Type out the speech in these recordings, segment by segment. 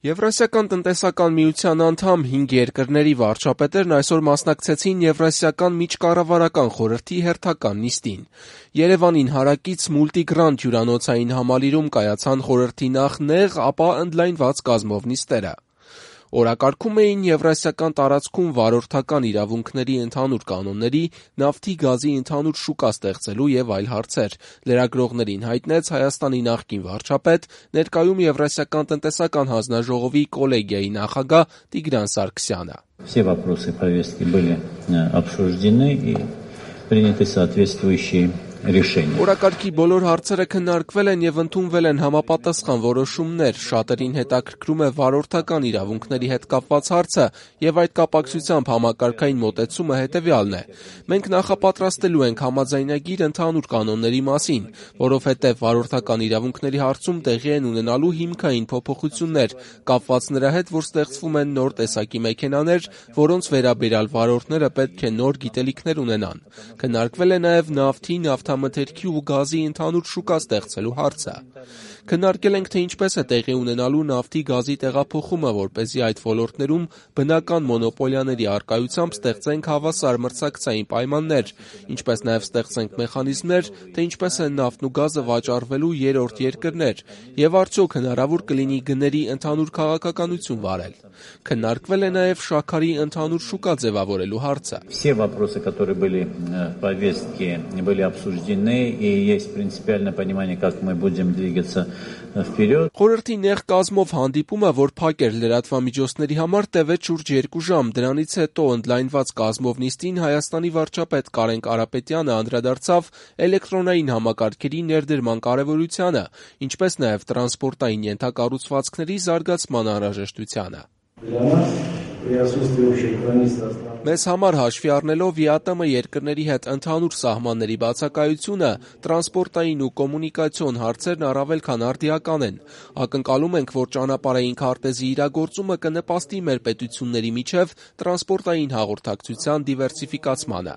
Եվրասիական տնտեսական միության անդամ 5 երկրների վարչապետերն այսօր մասնակցեցին Եվրասիական միջկառավարական խորհրդի հերթական նիստին։ Երևանին հարակից Multigrand հյուրանոցային համալիրում կայացան խորհրդի նախ նեղ, ապա ընդլայնված կազմով նիստերը։ Օրակարգում էին եվրասիական տարածքում վարորդական իրավունքների ընդհանուր կանոնների, նավթի գազի ընդհանուր շուկա ստեղծելու եւ այլ հարցեր։ Լրագրողներին հայտնեց Հայաստանի նախկին վարչապետ, ներկայում Եվրասիական տնտեսական հանձնաժողովի կոլեգիայի նախագահ Տիգրան Սարգսյանը։ Все вопросы повестки были обсуждены и приняты соответствующие решения. Օրակարգի բոլոր հարցերը քննարկվել են եւ ընդունվել են համապատասխան որոշումներ։ Շատերին հետաքրքրում է վարորդական իրավունքների հետ կապված հարցը եւ այդ կապակցությամբ համակարգային մոտեցումը հետեւյալն է։ Մենք նախապատրաստելու ենք համաձայնագիր ընդհանուր կանոնների մասին, որովհետեւ վարորդական իրավունքների հարցում տեղի են ունենալու հիմքային փոփոխություններ, կապված նրա հետ, որ ստեղծվում են նոր տեսակի մեքենաներ, որոնց վերաբերյալ վարորդները պետք է նոր գիտելիքներ ունենան։ Քննարկվել է նաեւ նավթի, նավթամթերքի ու գազի ընդհանուր շուկա ստեղծելու հարցը։ Քննարկել ենք, թե ինչպես է տեղի ունենալու նավթի գազի տեղափոխումը, որպեսզի այդ ոլորտներում բնական մոնոպոլիաների առկայությամբ ստեղծենք հավասար մրցակցային պայմաններ, ինչպես նաև ստեղծենք մեխանիզմներ, թե ինչպես են նավթն ու գազը վաճառվելու երրորդ երկրներ, եւ արդյոք հնարավոր կլինի գների ընդհանուր քաղաքականություն վարել։ Քննարկվել է նաև շաքարի ընդհանուր շուկա ձևավորելու հարցը։ Все вопросы, которые были в повестке, были обсуждены, и есть принципиальное понимание, как мы будем двигаться вперед. Խորհրդի նեղ կազմով հանդիպումը, որ փակ էր լրատվամիջոցների համար, տևեց շուրջ 2 ժամ։ Դրանից հետո ընդլայնված կազմով նիստին Հայաստանի վարչապետ Կարեն Կարապետյանը անդրադարձավ էլեկտրոնային համակարգերի ներդրման կարևորությանը, ինչպես նաև տրանսպորտային ենթակառուցվածքների զարգացման անհրաժեշտությանը։ Մեզ համար հաշվի առնելով ԵԱՏՄ երկրների հետ ընդհանուր սահմանների բացակայությունը, տրանսպորտային ու կոմունիկացիոն հարցերն առավել քան արդիական են։ Ակնկալում ենք, որ ճանապարհային քարտեզի իրագործումը կնպաստի մեր պետությունների միջև տրանսպորտային հաղորդակցության դիվերսիֆիկացմանը։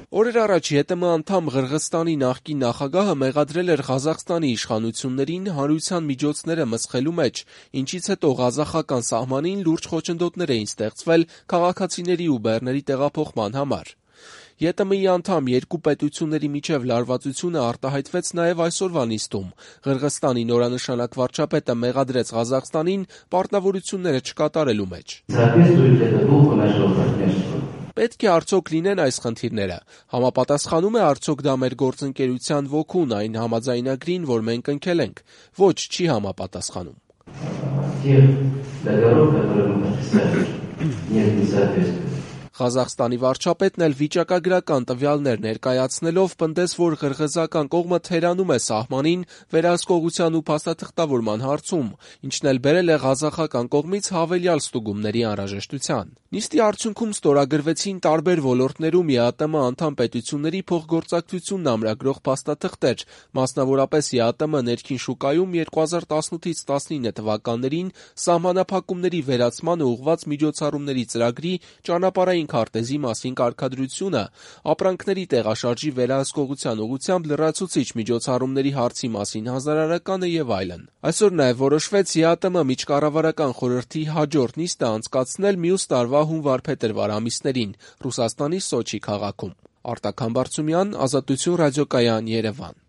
Օրեր առաջ ԵՏՄ անդամ Ղրղըզստանի նախկին նախագահը մեղադրել էր Ղազախստանի իշխանություններին հանրության միջոցները մսխելու մեջ, ինչից հետո ղազախական սահմանին լուրջ խոչընդոտներ էին ստեղծվել քաղաքացիների ու բեռների տեղափոխման համար։ ԵՏՄ-ի անդամ երկու պետությունների միջև լարվածությունը արտահայտվեց նաև այսօրվա նիստում։ Ղրղըզստանի նորանշանակ վարչապետը մեղադրեց Ղազախստանին պարտավորությունները չկատարելու մեջ։ Պետք է արդյոք լինեն այս խնդիրները։ Համապատասխանում է արդյոք դա մեր գործընկերության ոգուն, այն համաձայնագրին, որ մենք ընկել ենք։ Ոչ, չի համապատասխանում։ Ղազախստանի վարչապետն էլ վիճակագրական տվյալներ ներկայացնելով պնդեց, որ ղրղըզական կողմը թերանում է սահմանին վերահսկողության ու փաստաթղթավորման հարցում, ինչն էլ բերել է ղազախական կողմից հավելյալ ստուգումների անհրաժեշտության։ Նիստի արդյունքում ստորագրվեցին տարբեր ոլորտներում ԵԱՏՄ անդամ պետությունների փոխգործակցությունն ամրագրող փաստաթղթեր, մասնավորապես ԵԱՏՄ ներքին շուկայում 2018-ից 19 թվականներին սահմանափակումների վերացմանը ուղղված միջոցառումների ծրագրի ճանապարհային քարտեզի մասին կարգադրությունը, ապրանքների տեղաշարժի վերահսկողության ուղղությամբ լրացուցիչ միջոցառումների հարցի մասին հանձնարարականը եւ այլն։ Այսօր նաեւ որոշվեց ԵԱՏՄ միջկառավարական խորհրդի հաջորդ նիստը անցկացնել մյուս տարվա հունվար-փետրվար ամիսներին Ռուսաստանի Սոչի քաղաքում։ Արտակ Համբարձումյան, Ազատություն ռադիոկայան, Երևան։